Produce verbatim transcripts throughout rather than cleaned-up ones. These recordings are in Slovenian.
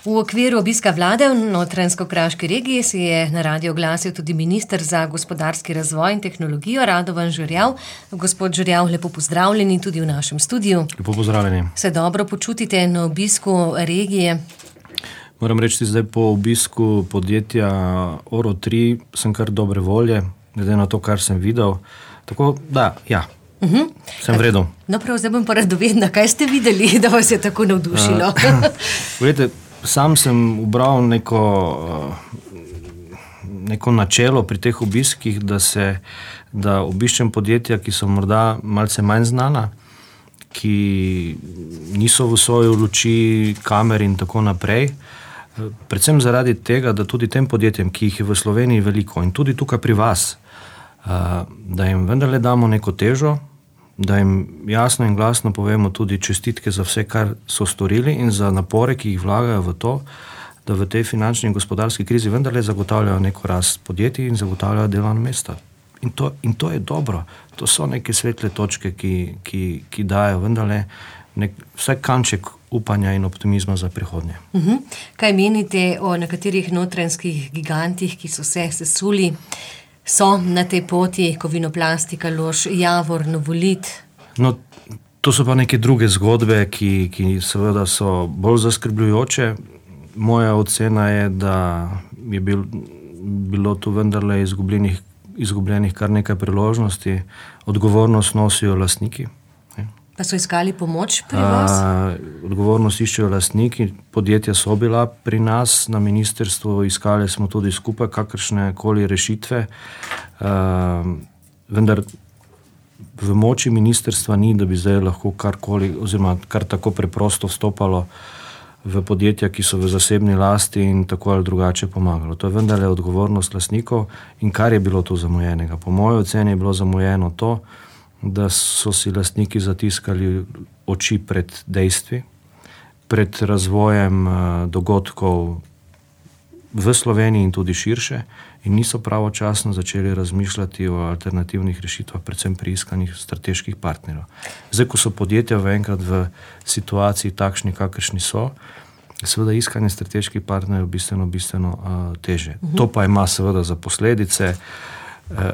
V okviru obiska vlade v Notranjsko-Kraški regiji se je na radio oglasil tudi minister za gospodarski razvoj in tehnologijo Radovan Žerjav. Gospod Žerjav, lepo pozdravljeni tudi v našem studiu. Lepo pozdravljeni. Se dobro počutite na obisku regije? Moram reči, zdaj po obisku podjetja Oro tri sem kar dobre volje, glede na to, kar sem videl. Tako, da, ja, uh-huh. sem v redu. No, prav, zdaj bom pa radovedna. Kaj ste videli, da vas je tako navdušilo? Gledajte, sam sem ubral neko, neko načelo pri teh obiskih, da se, da obiščem podjetja, ki so morda malce manj znana, ki niso v svoji luči, kamer in tako naprej. Predvsem zaradi tega, da tudi tem podjetjem, ki jih je v Sloveniji veliko in tudi tukaj pri vas, da jim vendarle damo neko težo, da jim jasno in glasno povemo tudi čestitke za vse, kar so storili in za napore, ki jih vlagajo v to, da v tej finančni in gospodarski krizi vendarle zagotavljajo neko rast podjetij in zagotavljajo delovna mesta. In to, in to je dobro. To so neke svetle točke, ki, ki, ki dajo vendarle nek, vsaj kanček upanja in optimizma za prihodnje. Uh-huh. Kaj menite o nekaterih notranjskih gigantih, ki so se sesuli? So na tej poti Kovinoplastika, Lož, Javor, Novolit? No, to so pa neke druge zgodbe, ki, ki seveda so bolj zaskrbljujoče. Moja ocena je, da je bil, bilo tu vendarle izgubljenih, izgubljenih kar nekaj priložnosti. Odgovornost nosijo lastniki. Pa so iskali pomoč pri vas? A, odgovornost iščejo lastniki, podjetja so bila pri nas na ministrstvu, iskali smo tudi skupaj kakršne koli rešitve, a, vendar v moči ministrstva ni, da bi zdaj lahko karkoli, oziroma kar tako preprosto vstopalo v podjetja, ki so v zasebni lasti in tako ali drugače pomagalo. To je vendarle odgovornost lastnikov in kar je bilo tu zamujenega. Po moji oceni je bilo zamujeno to, da so si lastniki zatiskali oči pred dejstvi, pred razvojem dogodkov v Sloveniji in tudi širše in niso pravočasno začeli razmišljati o alternativnih rešitvah, predvsem pri iskanjih strateških partnerjev. Zdaj, ko so podjetja enkrat v situaciji takšni, kakršni so, seveda iskanje strateških partnerjev bistveno, bistveno uh, teže. Uh-huh. To pa ima seveda za posledice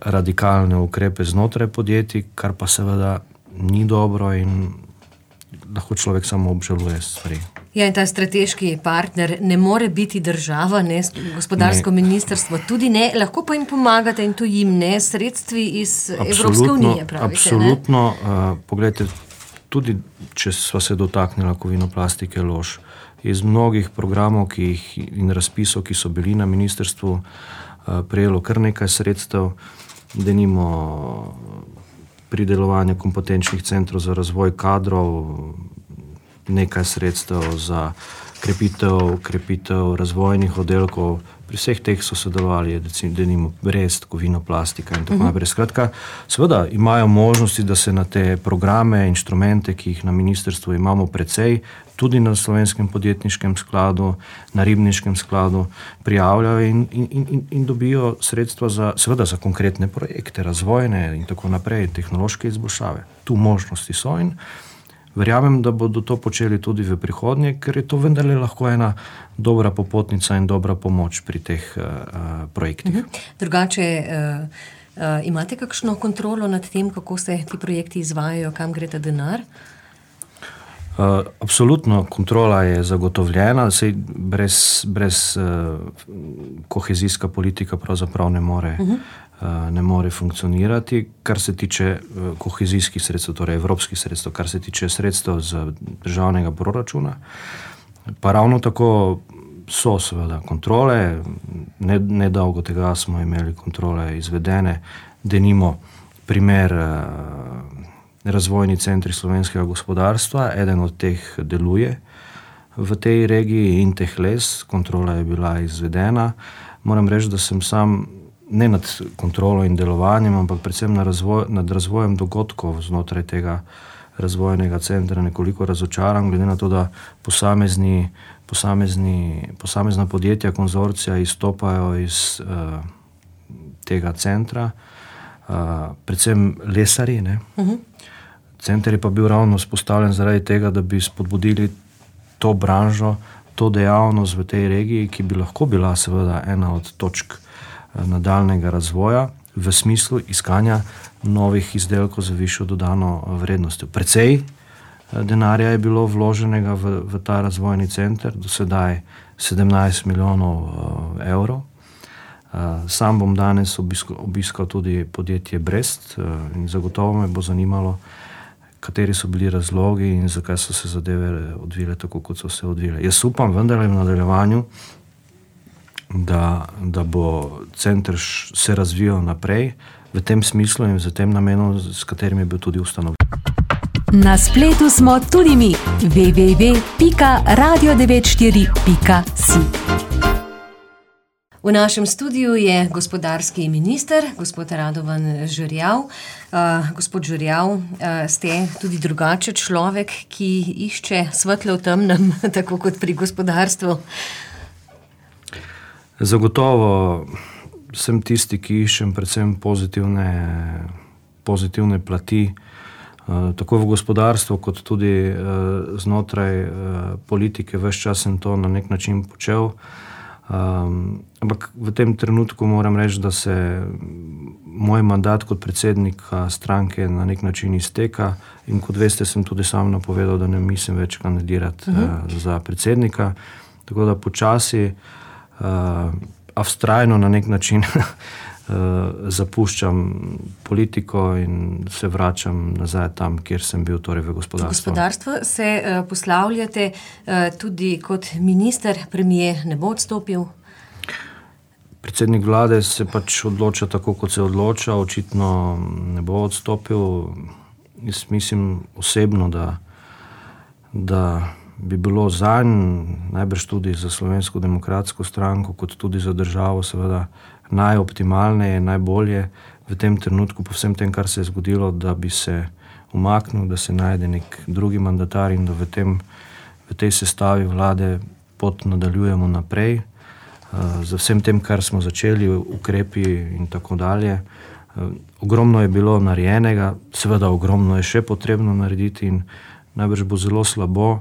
radikalne ukrepe znotraj podjetij, kar pa seveda ni dobro in lahko človek samo obžaluje stvari. Ja, in ta strateški partner ne more biti država, ne gospodarsko ne. Ministrstvo, tudi ne, lahko pa jim pomagate in tu jim ne sredstvi iz Evropske unije, pravite, absolutno, ne? Uh, pogledajte, tudi če sva se dotaknila Kovinoplastike Lož, iz mnogih programov ki jih, in razpisov, ki so bili na ministrstvu, prejelo kar nekaj sredstev, denimo pridelovanje kompetenčnih centrov za razvoj kadrov, nekaj sredstev za krepitev, krepitev razvojnih oddelkov. Pri vseh teh so sodelovali, denimo Brest, Kovinoplastika in tako uh-huh. naprej. Skratka, seveda imajo možnosti, da se na te programe, inštrumente, ki jih na ministrstvu imamo precej, tudi na Slovenskem podjetniškem skladu, na Ribniškem skladu prijavljajo in, in, in, in dobijo sredstva za, seveda za konkretne projekte, razvojne in tako naprej, tehnološke izboljšave. Tu možnosti so in verjamem, da bodo to počeli tudi v prihodnje, ker je to vendarle lahko ena dobra popotnica in dobra pomoč pri teh uh, projektih. Uh-huh. Drugače, uh, uh, imate kakšno kontrolo nad tem, kako se ti projekti izvajajo, kam gre ta denar? Uh, absolutno, kontrola je zagotovljena, sej brez, brez uh, kohezijska politika pravzaprav ne more, uh-huh. uh, ne more funkcionirati. Kar se tiče uh, kohezijskih sredstev, torej evropskih sredstev, kar se tiče sredstev z državnega proračuna, pa ravno tako so seveda kontrole, ne, nedolgo tega smo imeli kontrole izvedene, denimo primer uh, razvojni centri slovenskega gospodarstva, eden od teh deluje v tej regiji Intehles, kontrola je bila izvedena. Moram reči, da sem sam ne nad kontrolo in delovanjem, ampak predvsem na razvoj, nad razvojem dogodkov znotraj tega razvojnega centra nekoliko razočaran, glede na to, da posamezni, posamezni, posamezna podjetja, konzorcija izstopajo iz uh, tega centra, uh, predvsem lesari, ne? Uh-huh. Center je pa bil ravno vzpostavljen zaradi tega, da bi spodbudili to branžo to dejavnost v tej regiji, ki bi lahko bila seveda ena od točk nadaljnega razvoja v smislu iskanja novih izdelkov za višjo dodano vrednostjo. Precej denarja je bilo vloženega v, v ta razvojni center, do sedaj sedemnajst milijonov evrov. Sam bom danes obiskal, obiskal tudi podjetje Brest in zagotovo me bo zanimalo, kateri so bili razlogi in zakaj so se zadeve odvile tako, kot so se odvile. Jaz upam vendarle v nadaljevanju, da, da bo center se razvijal naprej v tem smislu in v tem namenu, s katerim je bil tudi ustanovljen. Na spletu smo tudi mi. w w w pika radio devet štiri pika si. V našem studiu je gospodarski minister, gospod Radovan Žerjav. Uh, gospod Žerjav, uh, ste tudi drugače človek, ki išče svetlo v temnem, tako kot pri gospodarstvu. Zagotovo sem tisti, ki iščem predvsem pozitivne, pozitivne plati, uh, tako v gospodarstvu, kot tudi uh, znotraj uh, politike. Ves čas sem to na nek način počel. Um, ampak v tem trenutku moram reči, da se moj mandat kot predsednika stranke na nek način izteka in kot veste, sem tudi sam napovedal, da ne mislim več kandidirati uh-huh. uh, za predsednika. Tako da počasi, uh, a vztrajno na nek način uh, zapuščam politiko in se vračam nazaj tam, kjer sem bil, torej v gospodarstvu. V gospodarstvo se uh, poslavljate uh, tudi kot minister, premier ne bo odstopil? Predsednik vlade se pač odloča tako, kot se odloča, očitno ne bo odstopil. Jaz mislim osebno, da, da bi bilo zanj, najbrž tudi za Slovensko demokratsko stranko, kot tudi za državo, seveda najoptimalneje, najbolje v tem trenutku, po vsem tem, kar se je zgodilo, da bi se umaknil, da se najde nek drugi mandatar in da v, tem, v tej sestavi vlade pot nadaljujemo naprej. Za vsem tem, kar smo začeli, ukrepi in tako dalje. Ogromno je bilo narejenega, seveda ogromno je še potrebno narediti in najbrž bo zelo slabo,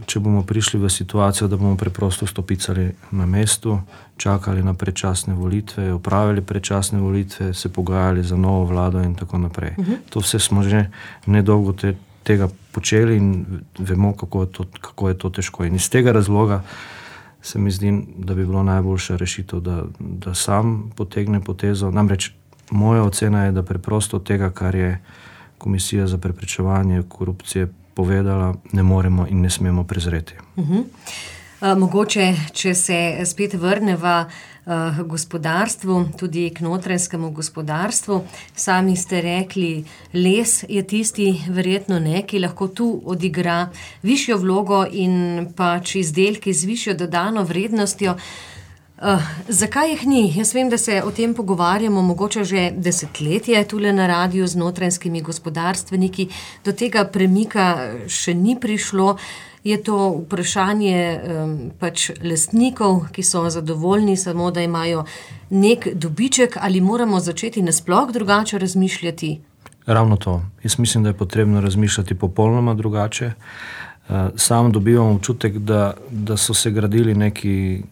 če bomo prišli v situacijo, da bomo preprosto stopicali na mestu, čakali na predčasne volitve, opravili predčasne volitve, se pogajali za novo vlado in tako naprej. Uh-huh. To vse smo že nedolgo te, tega počeli in vemo, kako je, to, kako je to težko. In iz tega razloga se mi zdi, da bi bilo najboljša rešitev, da, da sam potegne potezo. Namreč moja ocena je, da preprosto tega, kar je Komisija za preprečevanje korupcije povedala, ne moremo in ne smemo prezreti. Uh-huh. Uh, mogoče, če se spet vrneva uh, gospodarstvu, tudi k notranjskemu gospodarstvu, sami ste rekli, les je tisti, verjetno ne, ki lahko tu odigra višjo vlogo in pač izdelki z višjo dodano vrednostjo. Uh, zakaj jih ni? Jaz vem, da se o tem pogovarjamo mogoče že desetletje tule na radiju z notranjskimi gospodarstveniki. Do tega premika še ni prišlo. Je to vprašanje um, pač lastnikov, ki so zadovoljni samo, da imajo nek dobiček, ali moramo začeti nasploh drugače razmišljati? Ravno to. Jaz mislim, da je potrebno razmišljati popolnoma drugače. Sam dobivam občutek, da, da so se gradili neki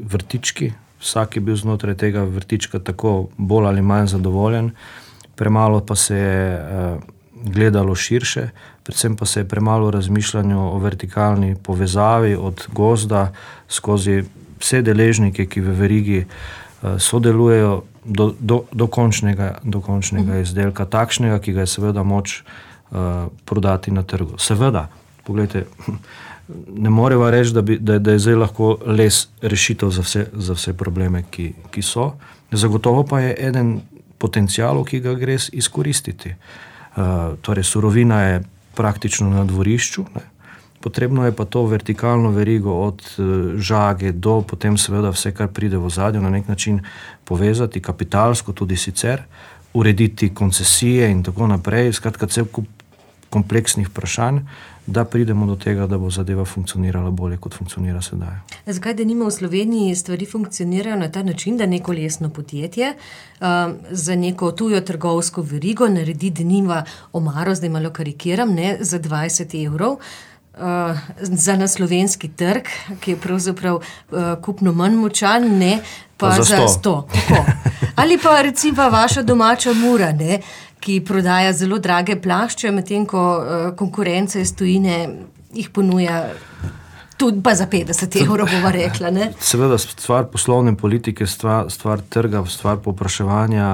vrtički, vsak je bil znotraj tega vrtička tako bolj ali manj zadovoljen, premalo pa se je uh, gledalo širše, predvsem pa se je premalo razmišljanje o vertikalni povezavi od gozda skozi vse deležnike, ki v verigi uh, sodelujejo do, do, do končnega, do končnega uh-huh. izdelka, takšnega, ki ga je seveda moč uh, prodati na trgu. Seveda, poglejte, ne moreva reči, da, bi, da, da je zdaj lahko les rešitev za vse, za vse probleme, ki, ki so. Zagotovo pa je eden potencialov, ki ga gre izkoristiti. Uh, torej, surovina je praktično na dvorišču, ne. Potrebno je pa to vertikalno verigo od uh, žage do potem seveda vse, kar pride v ozadju, na nek način povezati kapitalsko, tudi sicer, urediti koncesije in tako naprej, skratka cel kup kompleksnih vprašanj, da pridemo do tega, da bo zadeva funkcionirala bolje, kot funkcionira sedaj. Zakaj, da nima v Sloveniji stvari funkcionirajo na ta način, da neko lesno podjetje um, za neko tujo trgovsko verigo naredi denima omaro, zdaj malo karikiram, ne, za dvajset evrov, uh, za na slovenski trg, ki je pravzaprav uh, kupno manj močan, ne, pa, pa za sto. Ali pa recimo vaša domača Mura, ne, ki prodaja zelo drage plašče, medtem ko uh, konkurence iz tujine jih ponuja tudi pa za petdeset evrov, bova rekla, ne? Seveda, stvar poslovne politike, stvar, stvar trga, stvar povpraševanja,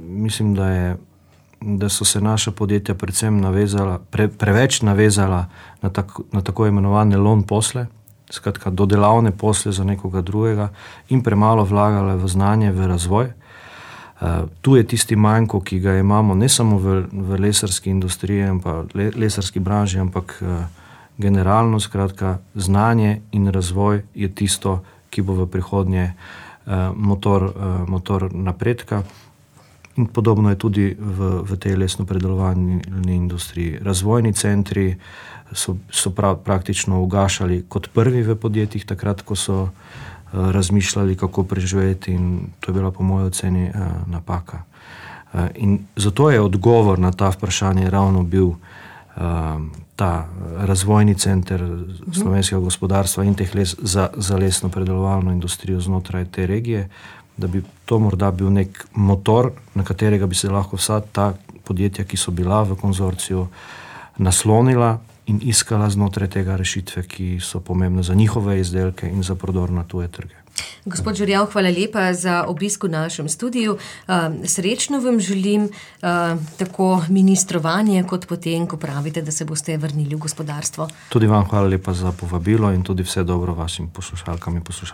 mislim, da, je, da so se naša podjetja predvsem navezala, pre, preveč navezala na, tak, na tako imenovane loan posle, skratka dodelavne posle za nekoga drugega in premalo vlagale v znanje, v razvoj. Uh, tu je tisti manjko, ki ga imamo ne samo v, v lesarski industriji, pa le, lesarski branži, ampak uh, generalno, skratka, znanje in razvoj je tisto, ki bo v prihodnje uh, motor, uh, motor napredka. In podobno je tudi v, v tej lesno-predelovalni industriji. Razvojni centri so, so prav, praktično ugašali kot prvi v podjetjih, takrat, ko so uh, razmišljali, kako preživeti, in to je bila po moji oceni uh, napaka. Uh, in zato je odgovor na ta vprašanje ravno bil ta razvojni center slovenskega gospodarstva in teh les za, za lesno predelovalno industrijo znotraj te regije, da bi to morda bil nek motor, na katerega bi se lahko vsa ta podjetja, ki so bila v konzorciju, naslonila in iskala znotraj tega rešitve, ki so pomembne za njihove izdelke in za prodor na tuje trge. Gospod Žerjav, hvala lepa za obisk v našem studiu. Srečno vam želim tako ministrovanje, kot potem, ko pravite, da se boste vrnili v gospodarstvo. Tudi vam hvala lepa za povabilo in tudi vse dobro vašim poslušalkam in poslušalcem.